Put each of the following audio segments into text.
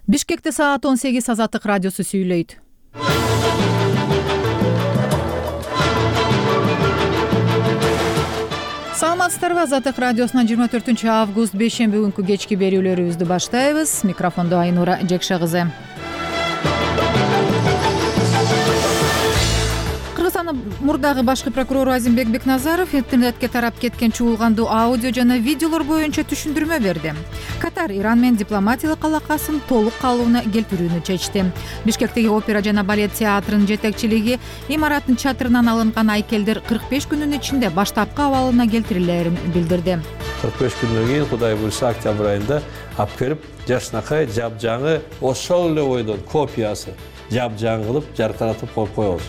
Бишкекте саат 18 Азаттык радиосу сүйлөйт. Саламатсыздарбы? Азаттык радиосунан 24 август бейшемби күнкү кечки берүүлөрүбүздү баштайбыз. Микрофондо Айнура Жекше кызы. Кыргызстандын мурдагы башкы прокурору Азимбек Бекназаров интернетке тарап кеткен чуулгандуу аудио жана видеолор боюнча түшүндүрмө берди. Катар Иран менен дипломатиялык алакасын толук калыбына келтирүүнү чечти. Бишкектеги опера жана балет театрынын жетекчилиги имараттын чатырынан алынган айкелдер 45 күнүн ичинде баштапкы абалына келтирилерин билдирди. 45 күндөн кийин Кудай буйрса октябрь айында алып келип жашынакай жапжаңы ошол эле ойдон копиясы жапжаң кылып жаркыратып коебуз.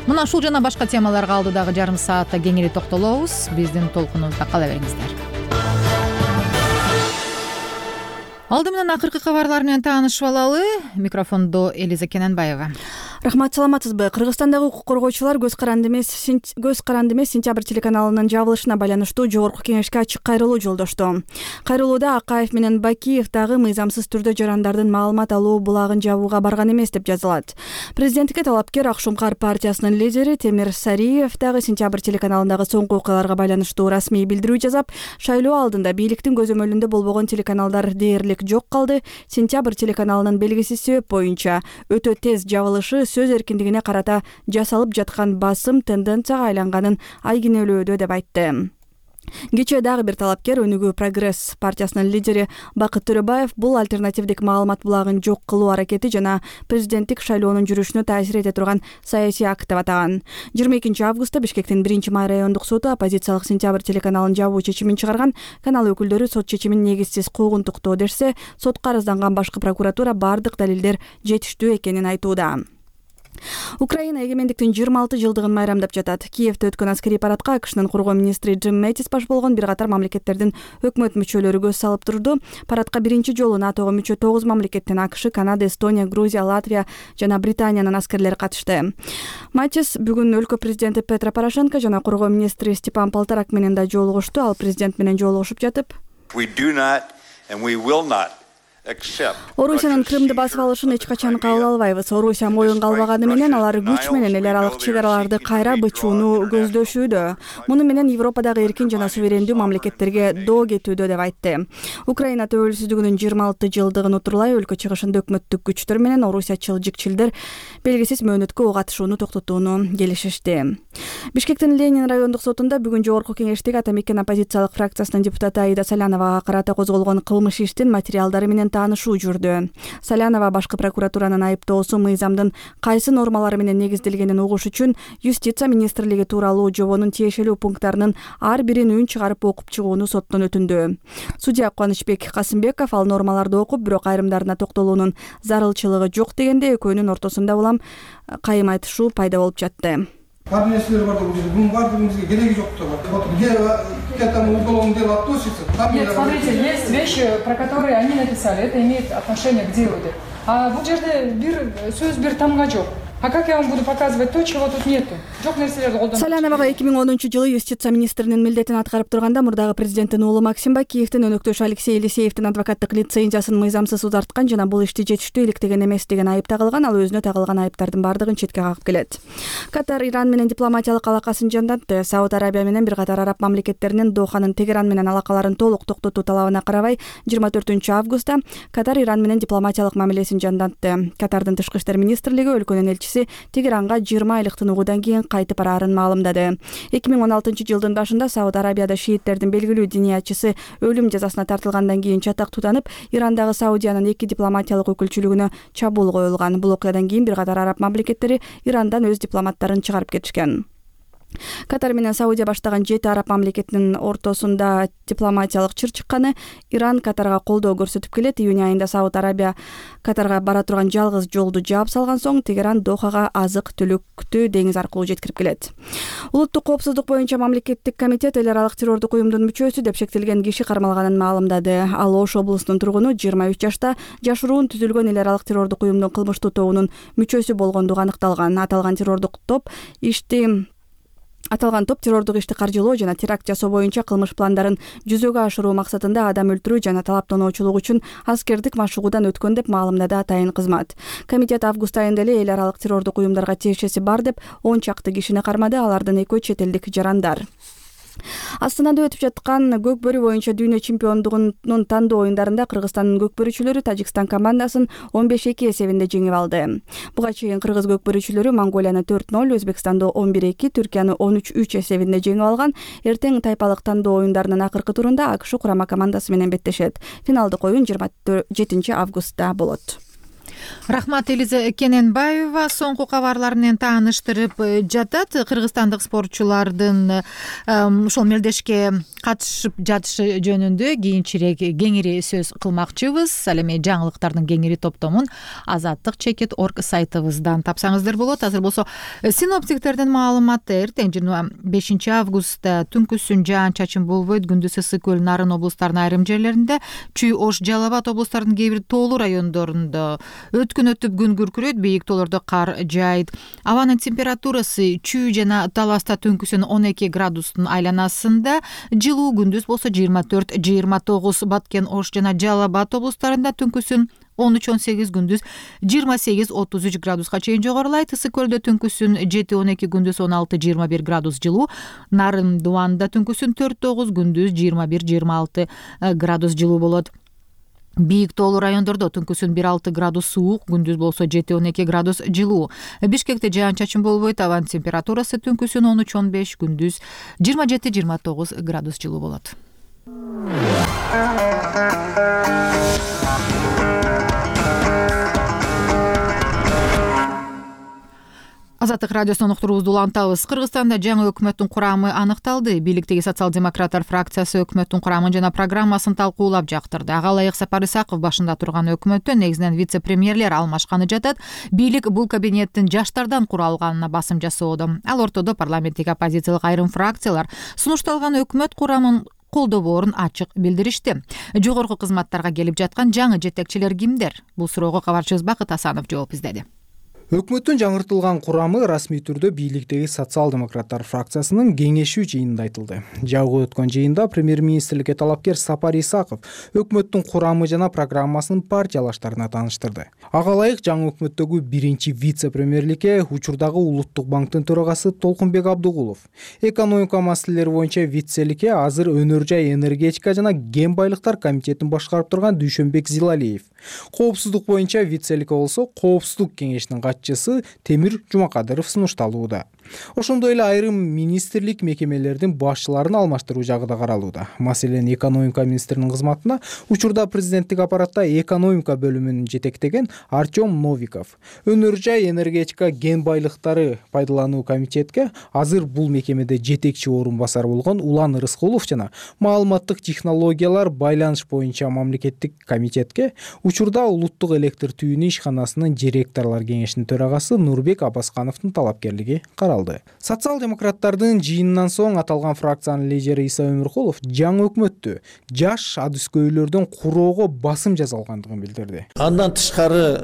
Мына ушул жана башка темаларга алдыдагы жарым саатта кеңири токтолобуз. Биздин толкунубузда кала бериңиздер. Алды менен акыркы кабарлар менен таанышып алалы. Микрофондо Элиза Кененбаева. Рахмат, саламатсызбы? Кыргызстандагы укук коргоочулар көз каранды эмес сентябрь телеканалынын жабылышына байланыштуу жогорку кеңешке ачык кайрылуу жолдошту. Кайрылууда Акаев менен Бакиев дагы мыйзамсыз түрдө жарандардын маалымат алуу булагын жабууга барган эмес деп жазылат. Президенттикке талапкер Ак Шумкар партиясынын лидери Темир Сариев дагы сентябрь телеканалындагы соңку окуяларга байланыштуу расмий билдирүү жасап, шайлоо алдында бийликтин көзөмөлүндө болбогон телеканалдар дээрлик жок калды. Сентябрь телеканалынын белгисиз себеп боюнча өтө тез жабылышы сөз эркиндигине карата жасалып жаткан басым тенденцияга айланганын айгинелөөдө деп айтты. Кечээ дагы бир талапкер Өнүгүү Прогресс партиясынын лидери Бакыт Төрөбаев бул альтернативдик маалымат булагын жок кылуу аракети жана президенттик шайлоонун жүрүшүнө таасир эте турган саясий акт деп атаган. 22 августта Бишкектин 1-май райондук соту оппозициялык сентябрь телеканалын жабуу чечимин чыгарган. Канал өкүлдөрү сот чечимин негизсиз куугунтуктоо дешсе, сотко арызданган башкы прокуратура бардык далилдер жетиштүү экенин айтууда. Украина эгемендиктин 26 жылдыгын майрамдап жатат. Киевде өткөн аскерий парадка АКШнын коргоо министри Джим Мэттис баш болгон бир катар мамлекеттердин өкмөт мүчөлөрү көз салып турду. Парадка биринчи жолу НАТОго мүчө 9 мамлекеттен АКШ, Канада, Эстония, Грузия, Латвия жана Британиянын аскерлери катышты. Мэттис бүгүн өлкө президенти Петро Порошенко жана коргоо министри Степан Полторак менен да жолугушту. Ал президент менен жолугушуп жатып, Орусиянын Крымды басып алышын эч качан кабыл албайбыз. Орусия моюнга албаганы менен алар күч менен эл аралык чек араларды кайра бычууну көздөшүүдө. Муну менен Европадагы эркин жана суверендүү мамлекеттерге доо кетүүдө деп айтты. Украина төбөлсүздүгүнүн 26 жылдыгын утурлай өлкө чыгышында өкмөттүк күчтөр менен орусиячыл жикчилдер белгисиз мөөнөткө ок атышууну токтотууну келишишти. Бишкектин Ленин райондук сотунда бүгүн жогорку кеңештеги ата мекен оппозициялык фракциясынын депутаты Аида Саляновага карата козголгон кылмыш иштин материалдары менен таанышуу жүрдү. Салянова башкы прокуратуранын айыптоосу мыйзамдын кайсы нормалары менен негизделгенин угуш үчүн Юстиция министрлиги тууралуу жобонун тиешелүү пункттарынын ар бирин үн чыгарып окуп чыгууну соттон өтүндү. Судья Кубанычбек Касымбеков ал нормаларды окуп, бирок айрымдарына токтолуунун зарылчылыгы жок дегенде экөөнүн ортосунда улам кайым айтышуу пайда болуп жатты. Бар нерселер бар деп бунун баардыгыбызга кереги жок деп. Вот где там уголовное дело относится, там... Нет, смотрите, есть вещи, про которые они написали, это имеет отношение к делу. А бул жерде бир сөз бир тамга жок. А как я вам буду показывать то, чего тут нету? Саляновага 2010-жылы Юстиция министринин милдетин аткарып турганда мурдагы президенттин уулу Максим Бакиевдин өнөктөшү Алексей Елисеевдин адвокаттык лицензиясын мыйзамсыз узарткан жана бул ишти жетиштүү иликтеген эмес деген айып тагылган. Ал өзүнө тагылган айыптардын бардыгын четке кагып келет. Катар Иран менен дипломатиялык алакасын жандантты. Сауд Арабия менен бир катар араб мамлекеттеринин Доханын Тегеран менен алакаларын толук токтотуу талабына карабай 24 августта Катар Иран менен дипломатиялык мамилесин жандантты. Катардын тышкы иштер министрлиги өлкөнүн элчиси Тегеранга 20 айлык тыныгуудан кийин кайтып бараарын маалымдады. 2016 жылдын башында Сауд Арабияда шииттердин белгилүү диниятчысы өлүм жазасына тартылгандан кийин чатак тутанып, Ирандагы Саудиянын 2 дипломатиялык өкүлчүлүгүнө чабуул коюлган. Бул окуядан кийин бир катар араб мамлекеттери Ирандан өз дипломаттарын чыгарып кетишкен. Катар менен Саудия баштаган 7 араб мамлекетинин ортосунда дипломатиялык чыр чыкканы. Иран Катарга колдоо көрсөтүп келет. Июнь айында Сауд Арабия Катарга бара турган жалгыз жолду жаап салган соң Тегеран Дохага азык-түлүктү деңиз аркылуу жеткирип келет. Улуттук коопсуздук боюнча мамлекеттик комитет эл аралык террордук уюмдун мүчөсү деп шектелген киши кармалганын маалымдады. Ал Ош облусунун тургуну 23 жашта жашыруун түзүлгөн эл аралык террордук уюмдун кылмыштуу тобунун мүчөсү болгондугу аныкталган. Аталган террордук топ ишти Аталган топ террордук ишти каржылоо жана теракт жасоо боюнча кылмыш пландарын жүзөгө ашыруу максатында адам өлтүрүү жана талаптоочулук үчүн аскердик машыгуудан өткөн деп маалымдады атайын кызмат. Комитет август айында эле эл аралык террордук уюмдарга тиешеси бар деп 10 чакты кишини кармады, алардын экөө чет элдик жарандар. Астанада өтүп жаткан көкбөрү боюнча дүйнө чемпиондугунун тандоо оюндарында Кыргызстандын көкбөрүчүлөрү Тажикстан командасын 15-2 эсебинде жеңип алды. Буга чейин кыргыз көкбөрүчүлөрү Монголияны 4-0, Өзбекстанды 11-2, Түркияны 13-3 эсебинде жеңип алган. Эртең тайпалык тандоо оюндарынын акыркы турунда АКШ курама командасы менен беттешет. Финалдык оюн 27 августта болот. Рахмат, Элиза Кененбаева соңку кабарлар менен тааныштырып жатат. Кыргызстандык спортчулардын ушул мелдешке катышып жатышы жөнүндө кийинчерээк кеңири сөз кылмакчыбыз. Ал эми жаңылыктардын кеңири топтомун azadlyk.org сайтыбыздан тапсаңыздар болот. Азыр болсо синоптиктердин маалыматы: эртең 25 августта түнкүсүн жаан-чачын болбойт. Күндүз ысык көл, Нарын облустарынын айрым жерлеринде, Чүй, Ош, Жалал Абад облустарынын кээ бир тоолуу райондорунда өткөн өтүп күн күркүрөйт, бийик тоолордо кар жаайт. Абанын температурасы Чүй жана Таласта түнкүсүн 12 градустун айланасында, жылуу күндүз болсо 24-29, Баткен, Ош жана Жалал Абад облустарында түнкүсүн 13-18, күндүз 28-33 градуска чейин жогорулайт. Ысык көлдө түнкүсүн 7-12, күндүз 16-21 градус жылуу. Нарын Дубанда түнкүсүн 4-9, күндүз 21-26 градус жылуу болот. Бийик тоолуу райондордо түнкүсүн 1-6 градус суук, күндүз болсо 7-12 градус жылуу. Бишкекте жаан-чачын болбойт, абанын температурасы түнкүсүн 13-15, күндүз 27-29 градус жылуу болот. Азаттык радиосунун уктуруубузду улантабыз. Кыргызстанда жаңы өкмөттүн курамы аныкталды. Бийликтеги социал-демократтар фракциясы өкмөттүн курамын жана программасын талкуулап жактырды. Ага ылайык Сапар Исаков башында турган өкмөттө негизинен вице-премьерлер алмашканы жатат. Бийлик бул кабинеттин жаштардан куралганына басым жасоодо. Ал ортодо парламенттик оппозициялык айрым фракциялар сунушталган өкмөт курамын колдобоорун ачык билдиришти. Жогорку кызматтарга келип жаткан жаңы жетекчилер кимдер? Бул суроого кабарчыбыз Бакыт Асанов жооп издеди. Өкмөттүн жаңыртылган курамы расмий түрдө бийликтеги социал-демократтар фракциясынын кеңешүү жыйынында айтылды. Жабык өткөн жыйында премьер-министрликке талапкер Сапар Исаков өкмөттүн курамы жана программасынын партиялаштарына тааныштырды. Ага ылайык жаңы өкмөттөгү биринчи вице-премьерликке учурдагы Улуттук банктын төрагасы Толкунбек Абдыгулов, экономика маселелери боюнча вицеликке азыр өнөр жай, энергетика жана кен байлыктар комитетин башкарып турган Дүйшөнбек Зилалиев, коопсуздук боюнча вицеликке болсо Коопсуздук кеңешинин катчысы Темир Жумакадыров сунушталууда. Ошондой эле айрым министрлик мекемелердин башчыларын алмаштыруу жагы да каралууда. Маселен, экономика министринин кызматына учурда президенттик аппаратта экономика бөлүмүн жетектеген Артем Новиков, өнөр жай, энергетика, кен байлыктары пайдалануу комитетке азыр бул мекемеде жетекчи орун басар болгон Улан Рыскулов жана маалыматтык технологиялар, байланыш боюнча мамлекеттик комитетке учурда Улуттук электр түйүнү ишканасынын директорлор кеңешинин төрагасы Нурбек Абаскановдун талапкерлиги каралды. Социал-демократтардын жыйынынан соң аталган фракциянын лидери Иса Өмүркулов жаңы өкмөттү жаш адыскөйлөрдөн куроого басым жасалгандыгын билдирди. Андан тышкары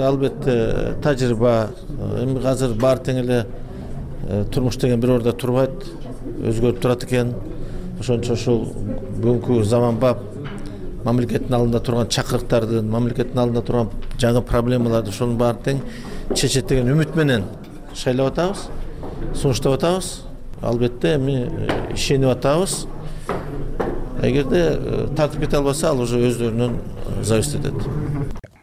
албетте тажрыйба, эми азыр баары тең эле турмуш деген бир ордо турбайт, өзгөрүп турат экен. Ошончо ушул бүгүнкү заманбап мамлекеттин алдында турган чакырыктардын, мамлекеттин алдында турган жаңы проблемаларды ошонун баары тең чечет деген үмүт менен шайлап атабыз, сунуштап атабыз. Албетте эми ишенип атабыз. Эгерде тартып кете албаса, ал уже өздөрүнөн зависит этет.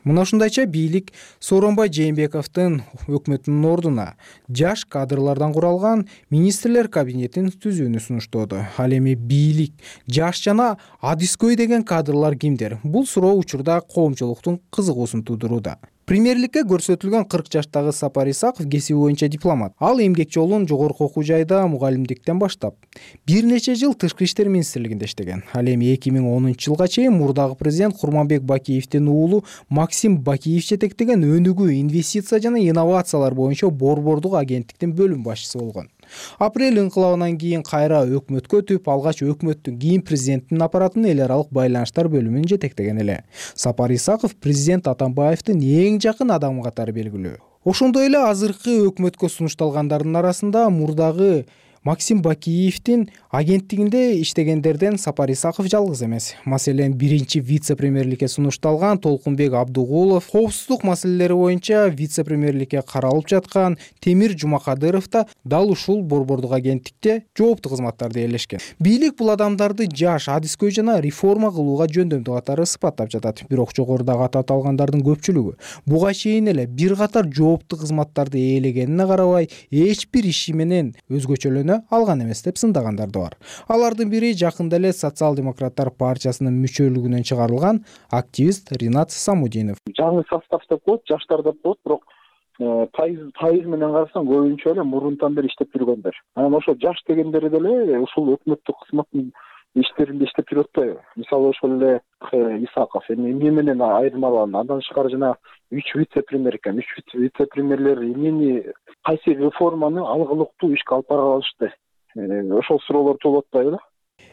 Мына ушундайча бийлик Сооронбай Жээнбековдун өкмөтүнүн ордуна жаш кадрлардан куралган министрлер кабинетин түзүүнү сунуштоодо. Ал эми бийлик, жаш жана адыскөй деген кадрлар кимдер? Бул суроо учурда коомчулуктун кызыгуусун туудурууда. Премьерликке көрсөтүлгөн 40 жаштагы Сапар Исаков кесиби боюнча дипломат. Ал эмгек жолун жогорку окуу жайда мугалимдиктен баштап, бир нече жыл Тышкы иштер министрлигинде иштеген. Ал эми 2010-жылга чейин мурдагы президент Курманбек Бакиевдин уулу Максим Бакиев жетектеген өнүгүү, инвестиция жана инновациялар боюнча борбордук агенттиктин бөлүм башчысы болгон. Апрель инкылабынан кийин кайра өкмөткө өтүп, алгач өкмөттүн, кийин президенттин аппаратынын эл аралык байланыштар бөлүмүн жетектеген эле. Сапар Исаков президент Атамбаевдин эң жакын адамы катары белгилүү. Ошондой эле азыркы өкмөткө сунушталгандардын арасында мурдагы Максим Бакиевдин агенттигинде иштегендерден Сапар Исаков жалгыз эмес. Маселен, биринчи вице-премьерликке сунушталган Толкунбек Абдугулов, коопсуздук маселелери боюнча вице-премьерликке каралып жаткан Темир Жумакадыров да дал ушул борбордук агенттикте жооптуу кызматтарды ээлешкен. Бийлик бул адамдарды жаш, адискөй жана реформа кылууга жөндөмдүү катары сыпаттап жатат. Бирок жогорудагы атап аталгандардын көпчүлүгү буга чейин эле бир катар жооптуу кызматтарды ээлегенине карабай эч бир иши менен өзгөчөлөнө алган эмес деп сындагандар да бар. Алардын бири жакында эле Социал-демократтар партиясынын мүчөлүгүнөн чыгарылган активист Ринат Самудинов. Жаңы состав деп коет, жаштар деп коет, бирок пайыз менен карасаң көбүнчө эле мурунтан бери иштеп жүргөндөр. Анан ошо жаш дегендери деле ушул өкмөттүк кызматтын иштеринде иштеп жүрүп атпайбы? Мисалы ошол эле Исаков эмне менен айырмаланат? Андан тышкары жана 3 вице-премьер экен. 3 вице-премьерлер эмнени кайсы реформаны алгылыктуу ишке алып бара алышты? Ошол суроолор туулуп атпайбы?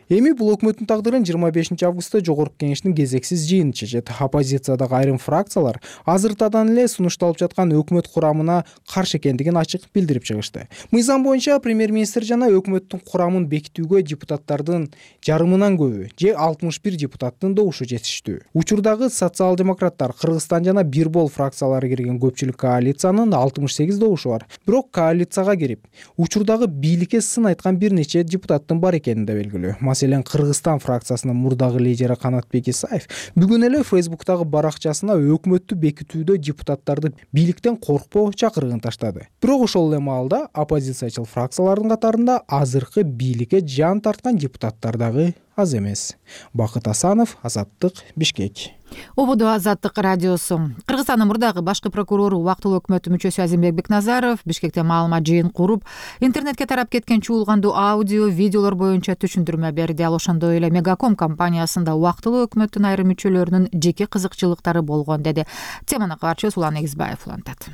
Эми бул өкмөттүн тагдырын 25 августта Жогорку Кеңештин кезексиз жыйыны чечет. Оппозициядагы айрым фракциялар азыртадан эле сунушталып жаткан өкмөт курамына каршы экендигин ачык билдирип чыгышты. Мыйзам боюнча премьер-министр жана өкмөттүн курамын бекитүүгө депутаттардын жарымынан көбү, же 61 депутаттын добушу жетиштүү. Учурдагы социал-демократтар, Кыргызстан жана Бир Бол фракциялары кирген көпчүлүк коалициянын 68 добушу бар. Бирок коалицияга кирип, учурдагы бийликке сын айткан бир нече депутаттын бар экени да белгилүү. Маселен, Кыргызстан фракциясынын мурдагы лидери Канатбек Исаев бүгүн эле Фейсбуктагы баракчасына өкмөттү бекитүүдө депутаттарды бийликтен коркпоо чакырыгын таштады. Бирок ошол эле маалда оппозициячыл фракциялардын катарында азыркы бийликке жан тарткан депутаттар дагы аз эмес. Бакыт Асанов, Азаттык, Бишкек. Ободо Азаттык радиосу. Кыргызстандын мурдагы башкы прокурору убактылуу өкмөттүн мүчөсү Азимбек Бекназаров Бишкекте маалымат жыйын куруп, интернетке тарап кеткен чуулгандуу аудио, видеолор боюнча түшүндүрмө берди. Ал ошондой эле Мегаком компаниясында убактылуу өкмөттүн айрым мүчөлөрүнүн жеке кызыкчылыктары болгон деди. Теманы кабарчыбыз Улан Эгизбаев улантат.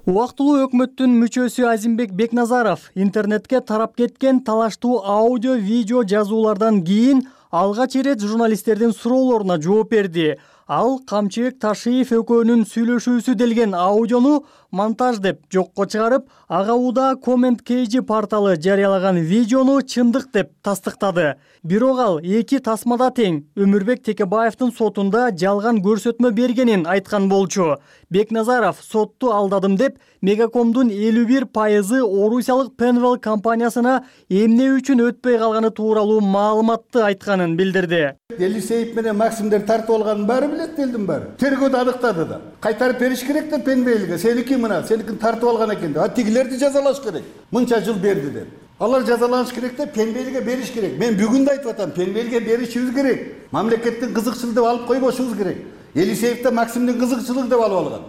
Убактылуу өкмөттүн мүчөсү Азимбек Бекназаров интернетке тарап кеткен талаштуу аудио, видео жазуулардан кийин алгач ирет журналисттердин суроолоруна жооп берди. Ал Камчыбек Ташиев экөөнүн сүйлөшүүсү делген аудиону монтаж деп жокко чыгарып, ага уда коммент KG порталы жарыялаган видеону чындык деп тастыктады. Бирок ал эки тасмада тең Өмүрбек Текебаевдин сотунда жалган көрсөтмө бергенин айткан болчу. Бекназаров сотту алдадым деп Мегакомдун 51% орусиялык Penwell компаниясына эмне үчүн өтпөй калганы тууралуу маалыматты айтканын билдирди. Елисеев менен Максимдер тартып алганын баары билет, элдин баары. Тергөөдө аныктады да. Кайтарып бериш керек деп Penwellге. Сеники мына, сеникин тартып алган экен деп. Тигилерди жазалаш керек. Мынча жыл берди деп. Алар жазаланыш керек деп Penwellге бериш керек. Мен бүгүн да айтып атам, Penwellге беришибиз керек. Мамлекеттин кызыкчылыгы деп алып койбошубуз керек. Елисеев да Максимдин кызыкчылыгы деп алып алган.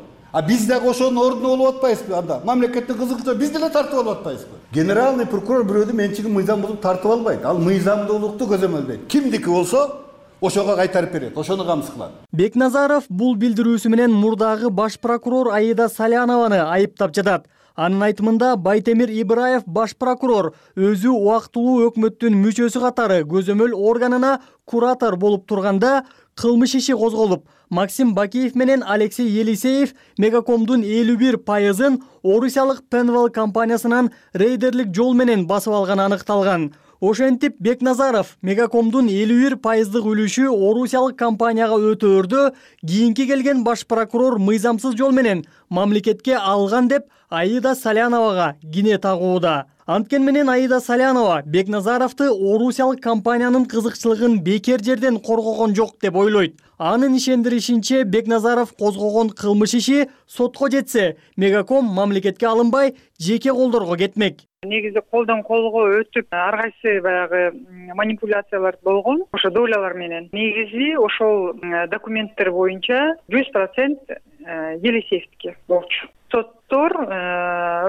Биз дагы ошонун ордуна болуп атпайбызбы анда? Мамлекеттин кызыкчылыгы биз деле тартып алып атпайбызбы? Генеральный прокурор бирөөдүн менчигин мыйзам бузуп тартып албайт. Ал мыйзамдуулукту көзөмөлдөйт. Кимдики болсо ошого кайтарып берет, ошону камсыз кылат. Бекназаров бул билдирүүсү менен мурдагы баш прокурор Аида Салянованы айыптап жатат. Анын айтымында Байтемир Ибраев баш прокурор өзү убактылуу өкмөттүн мүчөсү катары көзөмөл органына куратор болуп турганда кылмыш иши козголуп, Максим Бакиев менен Алексей Елисеев Мегакомдун 51%-ын орусиялык Penwell компаниясынан рейдерлик жол менен басып алганы аныкталган. Ошентип Бекназаров Мегакомдун 51%-дык үлүшү орусиялык компанияга өтөөрдө кийинки келген баш прокурор мыйзамсыз жол менен мамлекетке алган деп Аида Саляновага кине тагууда. Анткен менен Аида Салянова Бекназаровду орусиялык компаниянын кызыкчылыгын бекер жерден коргогон жок деп ойлойт. Анын ишендиришинче Бекназаров козгогон кылмыш иши сотко жетсе, Мегаком мамлекетке алынбай, жеке колдорго кетмек. Негизи колдон колго өтүп, ар кайсы баягы манипуляциялар болгон, ошо долялар менен. Негизи ошол документтер боюнча 100% Елисеевдики болчу. Соттор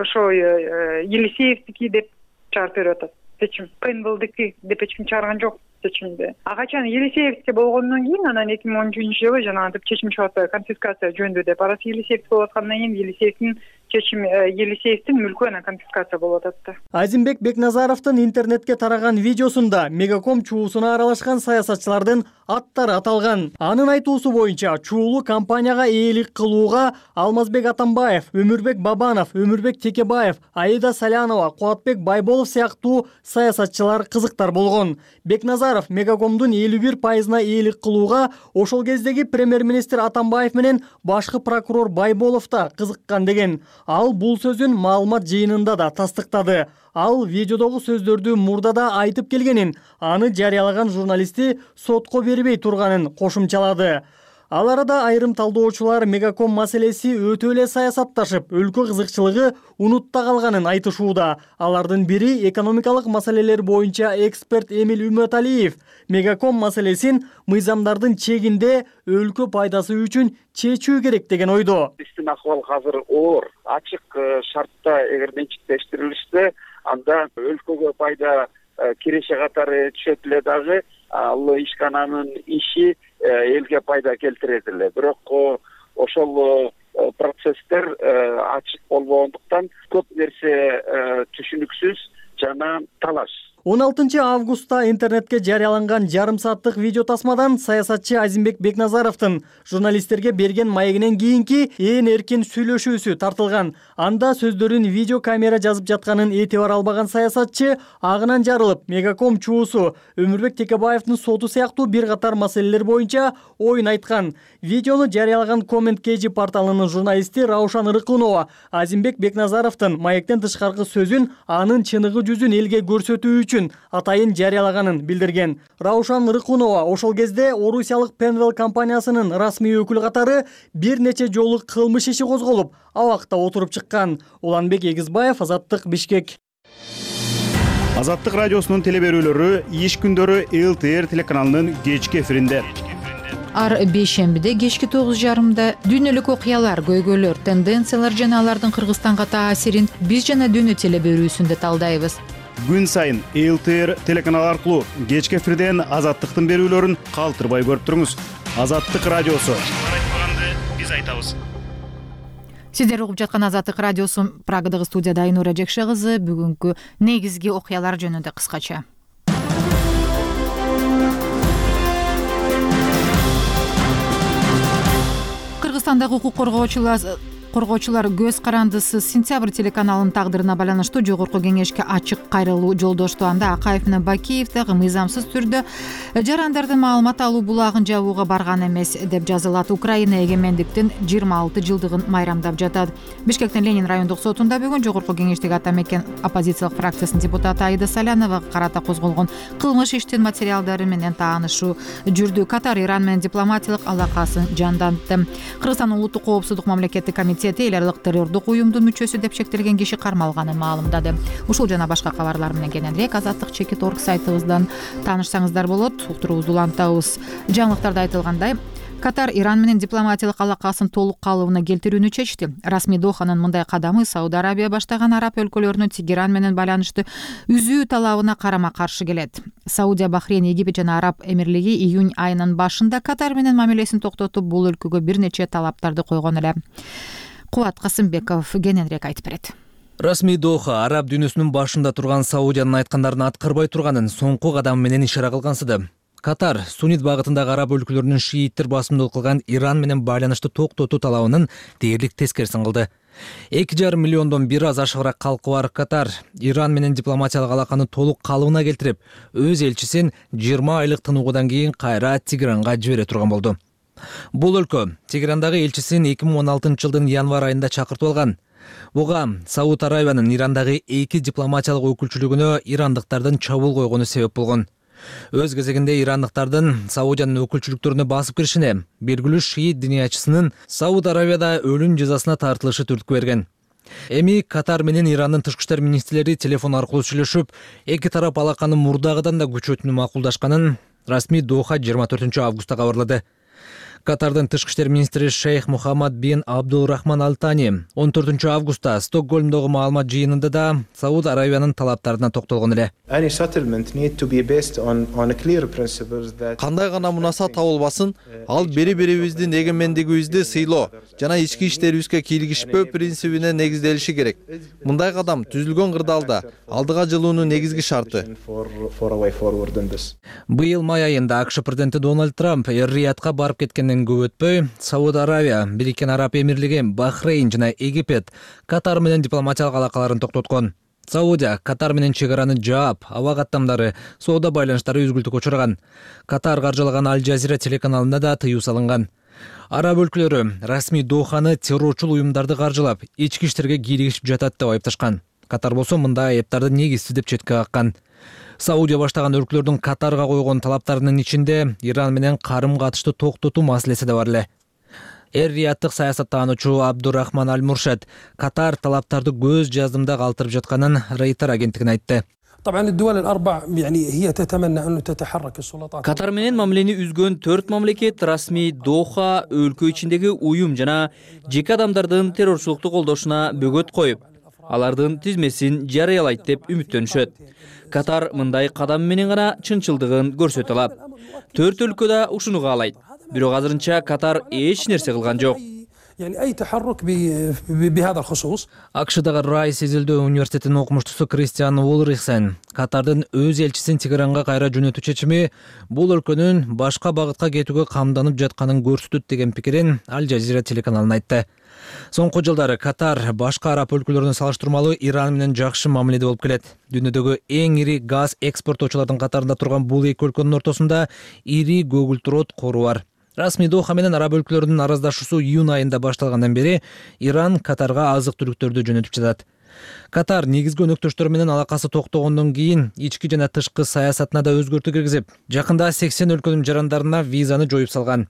ошо Елисеевдики деп чыгарып берип атат. Чечим Penwell'дики деп чечим чыгарган жок чечимди. Качан Елисеевдики болгондон кийин анан 2013-жылы жанагынтип чечим чыгып конфискация жөнүндө деп арасы Елисеевдики болуп аткандан кийин Елисеевдин чечим Елисеевдин мүлкү анан конфискация болуп атат да. Азимбек Бекназаровдун интернетке тараган видеосунда Мегаком чуусуна аралашкан саясатчылардын аттары аталган. Анын айтуусу боюнча чуулуу компанияга ээлик кылууга Алмазбек Атамбаев, Өмүрбек Бабанов, Өмүрбек Текебаев, Аида Салянова, Кубатбек Байболов сыяктуу саясатчылар кызыктар болгон. Бекназаров Мегакомдун 51%-на ээлик кылууга ошол кездеги премьер-министр Атамбаев менен башкы прокурор Байболов да кызыккан деген. Ал бул сөзүн маалымат жыйынында да тастыктады. Ал видеодогу сөздөрдү мурда да айтып келгенин, аны жарыялаган журналисти сотко бербей турганын кошумчалады. Ал арада айрым талдоочулар Мегаком маселеси өтө эле саясатташып, өлкө кызыкчылыгы унутта калганын айтышууда. Алардын бири экономикалык маселелер боюнча эксперт Эмил Үмөталиев Мегаком маселесин мыйзамдардын чегинде өлкө пайдасы үчүн чечүү керек деген ойдо. Биздин акыбал азыр оор, ачык шартта эгер менчиктештирилишсе, анда өлкөгө пайда киреше катары түшөт эле дагы, ал ишкананын иши элге пайда келтирет эле. Бирок ошол процесстер ачык болбогондуктан көп нерсе түшүнүксүз жана талаш. 16 августта интернетке жарыяланган жарым сааттык видео тасмадан саясатчы Азимбек Бекназаровдун журналисттерге берген маегинен кийинки ээн эркин сүйлөшүүсү тартылган. Анда сөздөрүн видео камера жазып жатканын этибар албаган саясатчы агынан жарылып, Мегаком чуусу Өмүрбек Текебаевдин соту сыяктуу бир катар маселелер боюнча оюн айткан. Видеону жарыялаган Comment KG порталынын журналисти Раушан Ырыкунова Азимбек Бекназаровдун маектен тышкаркы сөзүн анын чыныгы жүзүн элге көрсөтүү үчүн атайын жарыялаганын билдирген. Раушан Ырыкунова ошол кезде орусиялык Penwell компаниясынын расмий өкүлү катары бир нече жолу кылмыш иши козголуп, абакта отуруп чыккан. Уланбек Эгизбаев, Азаттык, Бишкек. Азаттык радиосунун телеберүүлөрү иш күндөрү ЛТР телеканалынын кечки эфиринде. Ар бейшембиде кечки 9:30 дүйнөлүк окуялар, көйгөйлөр, тенденциялар жана алардын Кыргызстанга таасирин биз жана дүйнө телеберүүсүндө талдайбыз. Күн сайын ЛТР телеканалы аркылуу кечки эфирден Азаттыктын берүүлөрүн калтырбай көрүп туруңуз. Азаттык радиосу. Биз айтабыз. Сиздер угуп жаткан Азаттык радиосу. Прагадагы студияда Айнура Жекше кызы. Бүгүнкү негизги окуялар жөнүндө кыскача. Кыргызстандагы укук коргоочулар көз карандысы Сентябрь телеканалынын тагдырына байланыштуу жогорку кеңешке ачык кайрылуу жолдошту. Анда Акаев менен Бакиев дагы мыйзамсыз түрдө жарандардын маалымат алуу булагын жабууга барган эмес деп жазылат. Украина эгемендиктин 26 жылдыгын майрамдап жатат. Бишкектин Ленин райондук сотунда бүгүн жогорку кеңештеги ата мекен оппозициялык фракциясынын депутаты Аида Саляновага карата козголгон кылмыш иштин материалдары менен таанышуу жүрдү. Катар Иран менен дипломатиялык алакасын жандантты. Кыргызстандын улуттук коопсуздук мамлекеттик комитети эл аралык террордук уюмдун мүчөсү деп шектелген киши кармалганын маалымдады. Ушул жана башка кабарлар менен кененирээк Азаттык.org сайтыбыздан таанышсаңыздар болот. Уктуруубузду улантабыз. Жаңылыктарда айтылгандай, Катар Иран менен дипломатиялык алакасын толук калыбына келтирүүнү чечти. Расмий Доханын мындай кадамы Сауд Арабия баштаган араб өлкөлөрүнүн Тегеран менен байланышты үзүү талабына карама-каршы келет. Саудия, Бахрейн, Египет жана Араб Эмирлиги июнь айынын башында Катар менен мамилесин токтотуп, бул өлкөгө бир нече талаптарды койгон эле. Кубат Касымбеков кененирээк айтып берет. Расмий Доха араб дүйнөсүнүн башында турган Саудиянын айткандарын аткарбай турганын соңку кадамы менен ишара кылгансыды. Катар суннит багытындагы араб өлкөлөрүнүн шииттер басымдуулук кылган Иран менен байланышты токтотуу талабынын дээрлик тескерисин кылды. 2,5 миллиондон бир аз ашыгыраак калкы бар Катар Иран менен дипломатиялык алаканы толук калыбына келтирип, өз элчисин 20 айлык тынуудан кийин кайра Тегеранга жибере турган болду. Бул өлкө Тегерандагы элчисин 2016 жылдын январь айында чакыртып алган. Буга Сауд Арабиянын Ирандагы 2 дипломатиялык өкүлчүлүгүнө ирандыктардын чабуул койгону себеп болгон. Өз кезегинде ирандыктардын Саудиянын өкүлчүлүктөрүнө басып киришине белгилүү шиит диниячысынын Сауд Арабияда өлүм жазасына тартылышы түрткү берген. Эми Катар менен Ирандын тышкы иштер министрлери телефон аркылуу сүйлөшүп, эки тарап алаканы мурдагыдан да күчөтүүнү макулдашканын расмий Доха 24 августта кабарлады. Катардын тышкы иштер министри Шейх Мухаммад бин Абдулрахман Аль Тани 14 августта Стокгольмдогу маалымат жыйынында да Сауд Аравиянын талаптарына токтолгон эле. Кандай гана мунаса табылбасын, ал бири-бирибиздин эгемендигибизди сыйлоо жана ички иштерибизге кийлигишпөө принцибине негизделиши керек. Мындай кадам түзүлгөн кырдаалда алдыга жылуунун негизги шарты. Быйыл май айында АКШ президенти Дональд Трамп Эр-Риядка барып кеткенден көп өтпөй, Сауд Аравия, Бириккен Араб Эмирлиги, Бахрейн жана Египет Катар менен дипломатиялык алакаларын токтоткон. Саудия Катар менен чек араны жаап, аба каттамдары, соода байланыштары үзгүлтүккө учураган. Катар каржылаган Аль Жазира телеканалына да тыюу салынган. Араб өлкөлөрү расмий Доханы террорчул уюмдарды каржылап, ички иштерге кийлигишип жатат деп айыпташкан. Катар болсо мындай айыптарды негизсиз деп четке каккан. Саудия баштаган өлкөлөрдүн Катарга койгон талаптарынын ичинде Иран менен карым-катышты токтотуу маселеси да бар эле. Эр-Рияттык саясаттануучу Абдурахман Аль Муршад Катар талаптарды көз жаздымда калтырып жатканын Рейтер агенттигине айтты. Катар менен мамилени үзгөн 4 мамлекет расмий Доха өлкө ичиндеги уюм жана жеке адамдардын террорчулукту колдошуна бөгөт коюп, алардын тизмесин жарыялайт деп үмүттөнүшөт. Катар мындай кадам менен гана чынчылдыгын көрсөтө алат. 4 өлкө да ушуну каалайт. Бирок азырынча Катар эч нерсе кылган жок. АКШдагы Райс изилдөө университетинин окумуштусу Кристиан Улрихсен Катардын өз элчисин Тегеранга кайра жөнөтүү чечими бул өлкөнүн башка багытка кетүүгө камданып жатканын көрсөтөт деген пикирин Аль Жазира телеканалына айтты. Соңку жылдары Катар башка араб өлкөлөрүнө салыштырмалуу Иран менен жакшы мамиледе болуп келет. Дүйнөдөгү эң ири газ экспорттоочулардын катарында турган бул эки өлкөнүн ортосунда ири көгүлтүрөт кору бар. Расмий Доха менен араб өлкөлөрүнүн араздашуусу июнь айында башталгандан бери Иран Катарга азык-түлүктөрдү жөнөтүп жатат. Катар негизги өнөктөштөрү менен алакасы токтогондон кийин ички жана тышкы саясатына да өзгөртүү киргизип, жакында 80 өлкөнүн жарандарына визаны жоюп салган.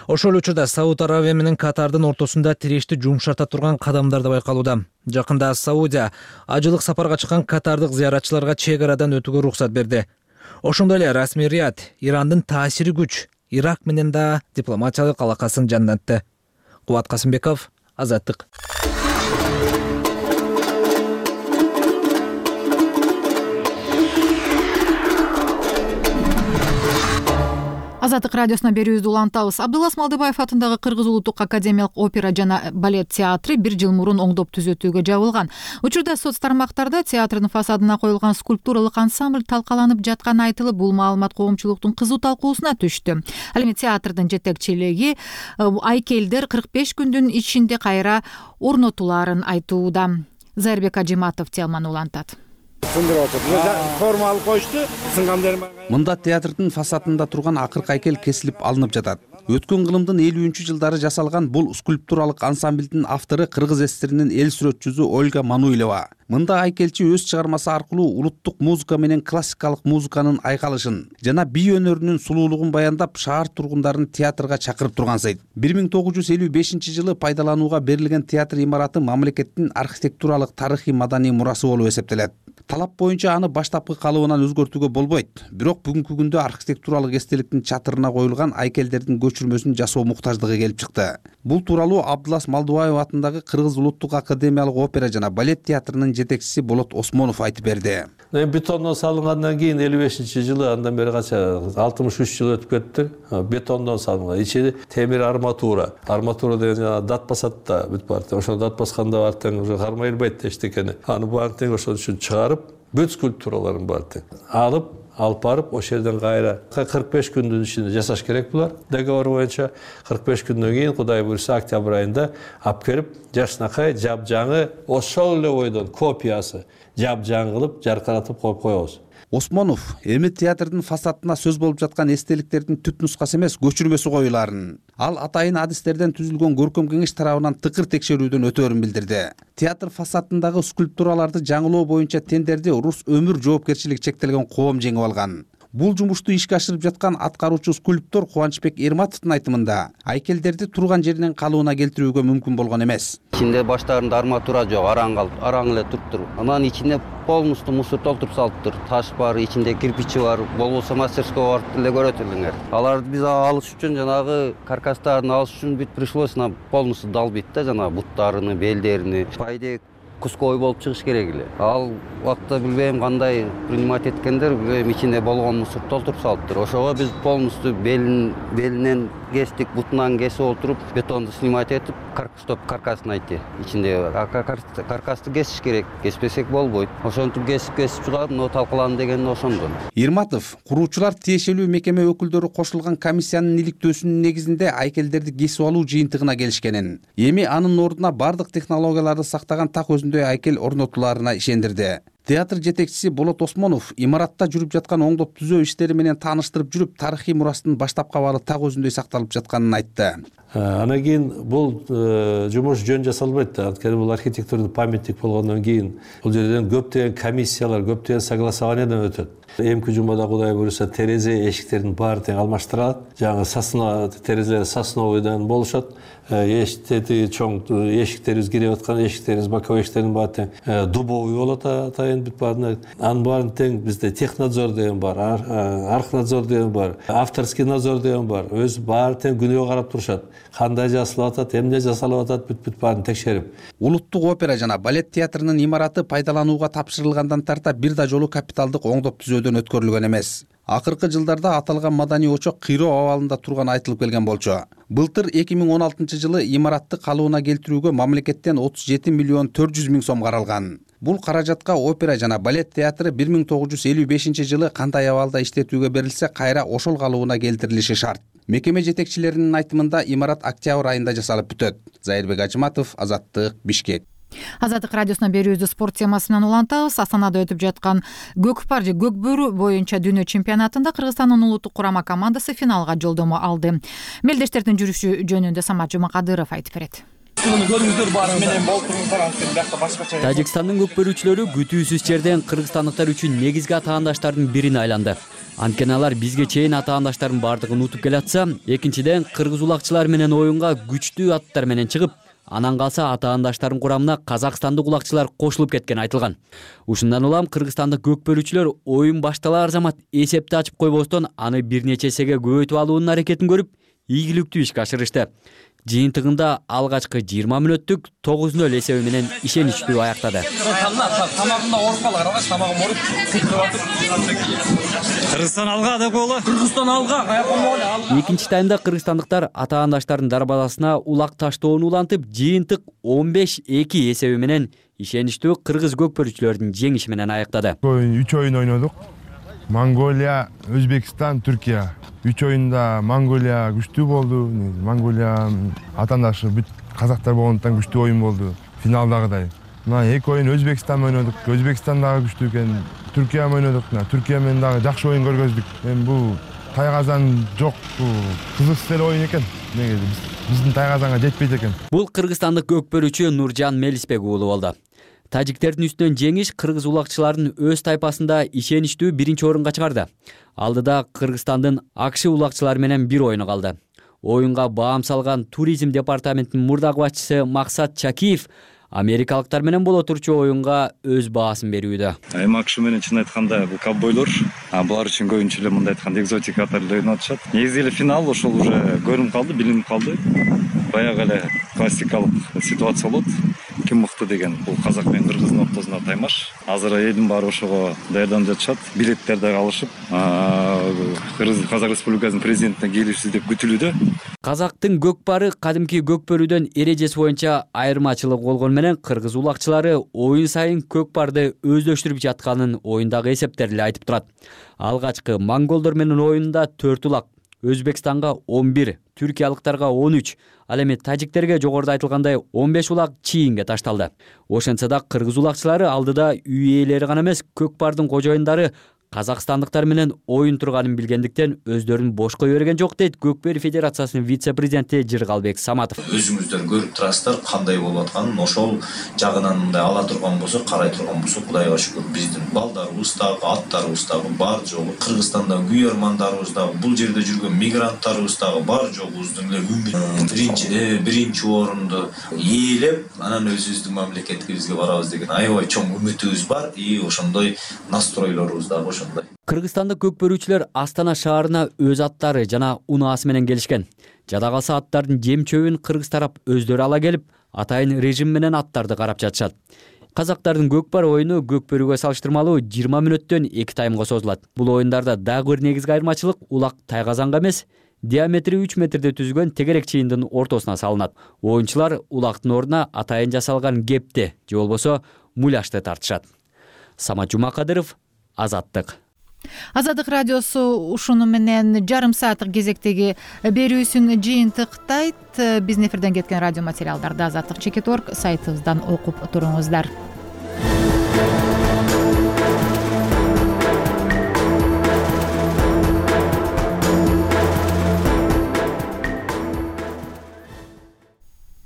Ошол учурда Сауд Аравия менен Катардын ортосунда тирешти жумшарта турган кадамдар да байкалууда. Жакында Саудия ажылык сапарга чыккан катардык зыяратчыларга чек арадан өтүүгө уруксат берди. Ошондой эле расмий Рият Ирандын таасири күч Ирак менен да дипломатиялык алакасын жандантты. Кубат Касымбеков, Азаттык. Азаттык радиосуна берүүбүздү улантабыз. Абдулас Малдыбаев атындагы Кыргыз улуттук академиялык опера жана балет театры 1 жыл мурун оңдоп түзөтүүгө жабылган. Учурда соц тармактарда театрдын фасадына коюлган скульптуралык ансамбль талкаланып жатканы айтылып, бул маалымат коомчулуктун кызуу талкуусуна түштү. Ал эми театрдын жетекчилиги айкелдер 45 күндүн ичинде кайра орнотулаарын айтууда. Зайырбек Ажиматов теманы улантат. Формалык коюшту, сынгандер. Мында театрдын фасадында турган акыркы айкел кесилип алынып жатат. Өткөн кылымдын 50-жылдары жасалган бул скульптуралык ансамблдин автору кыргыз эстеринин эл сүрөтчүсү Ольга Мануилова. Мында айкелчи өз чыгармасы аркылуу улуттук музыка менен классикалык музыканын айкалышын жана бий өнөрүнүн сулуулугун баяндап, шаар тургундарын театрга чакырып тургансыйт. 1955-жылы пайдаланууга берилген театр имараты мамлекеттин архитектуралык тарыхый маданий мурасы болуп эсептелет. Талап боюнча аны баштапкы калыбынан өзгөртүүгө болбойт. Бирок бүгүнкү күндө архитектуралык эстеликтин чатырына коюлган айкелдердин көчүрмөсүн жасоо муктаждыгы келип чыкты. Бул тууралуу Абдулас Малдыбаев атындагы Кыргыз улуттук академиялык опера жана балет театрынын жетекчиси Болот Осмонов айтып берди. Бетондон салынгандан кийин 55-жылы андан бери канча 63 жыл өтүп кетти. Бетондон салынган. Ичи темир арматура. Арматура деген дат басат да бүт бар. Ошол дат басканда бар тең уже кармай элбейт эчтекени. Аны баарын тең ошол үчүн чыгарып, бүт скульптураларын бар тең алып барып ошол жерден кайра 45 күндүн ичинде жасаш керек булар. Договор боюнча 45 күндөн кийин Кудай буйрса октябрь айында алып келип жашынакай жапжаңы ошол эле бойдон копиясы жапжаң кылып жаркыратып коюп коебуз. Осмонов эми театрдын фасадына сөз болуп жаткан эстеликтердин түп нускасы эмес, көчүрмөсү коюларын. Ал атайын адистерден түзүлгөн көркөм кеңеш тарабынан тыкыр текшерүүдөн өтөөрүн билдирди. Театр фасадындагы скульптураларды жаңылоо боюнча тендерди Рус өмүр жоопкерчилиги чектелген коом жеңип алган. Бул жумушту ишке ашырып жаткан аткаруучу скульптор Кубанычбек Эрматовдун айтымында айкелдерди турган жеринен калыбына келтирүүгө мүмкүн болгон эмес. Ичинде баштарында арматура жок, араң эле туруптур. Анан ичине полностью мусор толтуруп салыптыр. Таш бар, ичинде кирпичи бар. Болбосо мастерскойго барып деле көрөт элеңер. Аларды биз алыш үчүн жанагы каркастарын алыш үчүн бүт пришлось полностью далбыйт да, жанагы буттарыны, белдерини. Пайдек куской болуп чыгыш керек эле. Ал убакта билбейм кандай принимать эткендер, билбейм ичинде болгон мусор толтуруп салыптыр. Ошого биз полностью белинен кестик, бутунан кесип отуруп, бетонду снимать этип, каркасын айтты. Ичинде каркасты кесиш керек, кеспесек болбойт. Ошентип кесип чыгып, но талкаланды деген ошондон. Эрматов куруучулар тиешелүү мекеме өкүлдөрү кошулган комиссиянын иликтөөсүнүн негизинде айкелдерди кесип алуу жыйынтыгына келишкенин, эми анын ордуна бардык технологияларды сактаган так өзүндөй айкел орнотуларына ишендирди. Театр жетекчиси Болот Осмонов имаратта жүрүп жаткан оңдоп түзөө иштери менен тааныштырып жүрүп, тарыхый мурастын баштап кабары так өзүндөй сакталып жатканын айтты. Анан кийин бул жумуш жөн жасалбайт. Анткени бул архитектурдук памятник болгондон кийин бул жерден көптөгөн комиссиялар, көптөгөн согласованиядан өтөт. Эмки жумада Кудай буюрса терезе эшиктердин баары тең алмаштырылат. Жаңы сосна терезелер сосновойдон болушат. Эшиктери чоң эшиктерибиз кирип аткан эшиктерибиз, боковой эшиктердин баары тең дубовый болот атайын бүт баарына. Анын баарын тең бизде технадзор деген бар, архнадзор деген бар, авторский надзор деген бар. Өз баары тең күнөө карап турушат. Кандай жасалып атат, эмне жасалып атат, бүт баарын текшерип. Улуттук опера жана балет театрынын имараты пайдаланууга тапшырылгандан тарта бир да жолу капиталдык оңдоп түзөөдөн өткөрүлгөн эмес. Акыркы жылдарда аталган маданий очок кыйроо абалында турганы айтылып келген болчу. Былтыр 2016-жылы имаратты калыбына келтирүүгө мамлекеттен 37 миллион 400 миң сом каралган. Бул каражатка опера жана балет театры 1955-жылы кандай абалда иштетүүгө берилсе, кайра ошол калыбына келтирилиши шарт. Мекеме жетекчилеринин айтымында имарат октябрь айында жасалып бүтөт. Зайырбек Ажыматов, Азаттык, Бишкек. Азаттык радиосуна берүүбүздү спорт темасы менен улантабыз. Астанада өтүп жаткан көкпар же көк бөрү боюнча дүйнө чемпионатында Кыргызстандын улуттук курама командасы финалга жолдомо алды. Мелдештердин жүрүшү жөнүндө Самат Жумакадыров айтып берет. Тажикстандын көкбөрүүчүлөрү күтүүсүз жерден кыргызстандыктар үчүн негизги атаандаштардын бирине айланды. Анткени алар бизге чейин атаандаштардын бардыгын утуп келатса, экинчиден кыргыз улакчылар менен оюнга күчтүү аттар менен чыгып, анан калса атаандаштардын курамына казакстандык улакчылар кошулуп кеткени айтылган. Ушундан улам кыргызстандык көкбөрүүчүлөр оюн башталар замат эсепти ачып койбостон аны бир нече эсеге көбөйтүп алуунун аракетин көрүп, ийгиликтүү ишке ашырышты. Жыйынтыгында алгачкы 20 мүнөттүк 9-0 эсеби менен ишеничтүү аяктады. Кыргызстан алга деп коелу. Кыргызстан алга. Экинчи таймда кыргызстандыктар атаандаштардын дарбазасына улак таштоону улантып, жыйынтык 15-2 эсеби менен ишеничтүү кыргыз көкбөрүүчүлөрдүн жеңиши менен аяктады. 3 оюн ойнодук. Монголия, Өзбекстан, Түркия. 3 оюнда Монголия күчтүү болду. Монголия атаандашы бүт казактар болгондуктан күчтүү оюн болду. Финалдагыдай. Мына 2 оюн Өзбекстан ойнодук. Өзбекстан дагы күчтүү экен. Түркия ойнодук. Түркия менен дагы жакшы оюн көргөздүк. Эми бул Тайгазан жок, кызык оюн экен. Биздин Тайгазанга жетпейт экен. Бул кыргызстандык көкбөрүүчү Нуржан Мелисбек уулу болду. Тажиктердин үстүнөн жеңиш кыргыз улакчыларын өз тайпасында ишеничтүү биринчи орунга чыгарды. Алдыда Кыргызстандын АКШ улакчылары менен бир оюну калды. Оюнга баам салган туризм департаментинин мурдагы башчысы Максат Чакиев америкалыктар менен боло турчу оюнга өз баасын берүүдө. Эми АКШ менен чын айтканда бул ковбойлор, булар үчүн көбүнчө эле мындай айтканда экзотика катары ойноп атышат. Негизи эле финал ошол уже көрүнүп калды, билинип калды. Баягы эле классикалык ситуация болот. Ким мыкты деген бул казак менен кыргыздын ортосунда таймаш. Азыр элдин баары ошого даярданып жатышат. Билеттер дагы алышып, Казак Республикасынын президентине келишсиз деп күтүлүүдө. Казактын көкпары кадимки көкбөрүүдөн эрежеси боюнча айырмачылык болгону менен кыргыз улакчылары оюн сайын көкпарды өздөштүрүп жатканын оюндагы эсептер эле айтып турат. Алгачкы монголдор менен оюнда 4 улак, Өзбекстанга 11, түркиялыктарга 13, ал эми тажиктерге жогоруда айтылгандай 15 улак чийинге ташталды. Ошентсе да кыргыз улакчылары алдыда үй ээлери гана эмес, көкпардын кожоюндары казакстандыктар менен оюн турганын билгендиктен өздөрүн бош кое берген жок дейт Көкбери Федерациясынын вице-президенти Жыргалбек Саматов. Өзүңүздөр көрүп турасыздар кандай болуп атканын, ошол жагынан мындай ала турган болсок, карай турган болсок, Кудайга шүгүр, биздин балдарыбыз дагы, аттарыбыз дагы бар жогу, Кыргызстанда күйөрмандарыбыз дагы, бул жерде жүргөн мигранттарыбыз дагы бар жогубуздун эле үмүт биринчи орунду ээлеп, анан өзүбүздүн мамлекетибизге барабыз деген аябай чоң үмүтүбүз бар и ошондой настройлорубуз дагы ошондой. Кыргызстанда көк бөрүүчүлөр Астана шаарына өз аттары жана унаасы менен келишкен. Жада калса аттардын жем чөбүн кыргыз тарап өздөрү ала келип, атайын режим менен аттарды карап жатышат. Казактардын көкпар оюну көк бөрүүгө салыштырмалуу 20 мүнөттөн 2 таймга созулат. Бул оюндарда дагы бир негизги айырмачылык улак тайгазанга эмес, диаметри 3 метрде түзүлгөн тегерек чыйындын ортосуна салынат. Оюнчулар улактын ордуна атайын жасалган кепти же болбосо муляжды тартышат. Самат Жумакадыров, Азаттык. Азаттык радиосу ушуну менен жарым сааттык кезектеги берүүсүн жыйынтыктайт. Биздин эфирден кеткен радио материалдарды Азаттык.org сайтыбыздан окуп туруңуздар.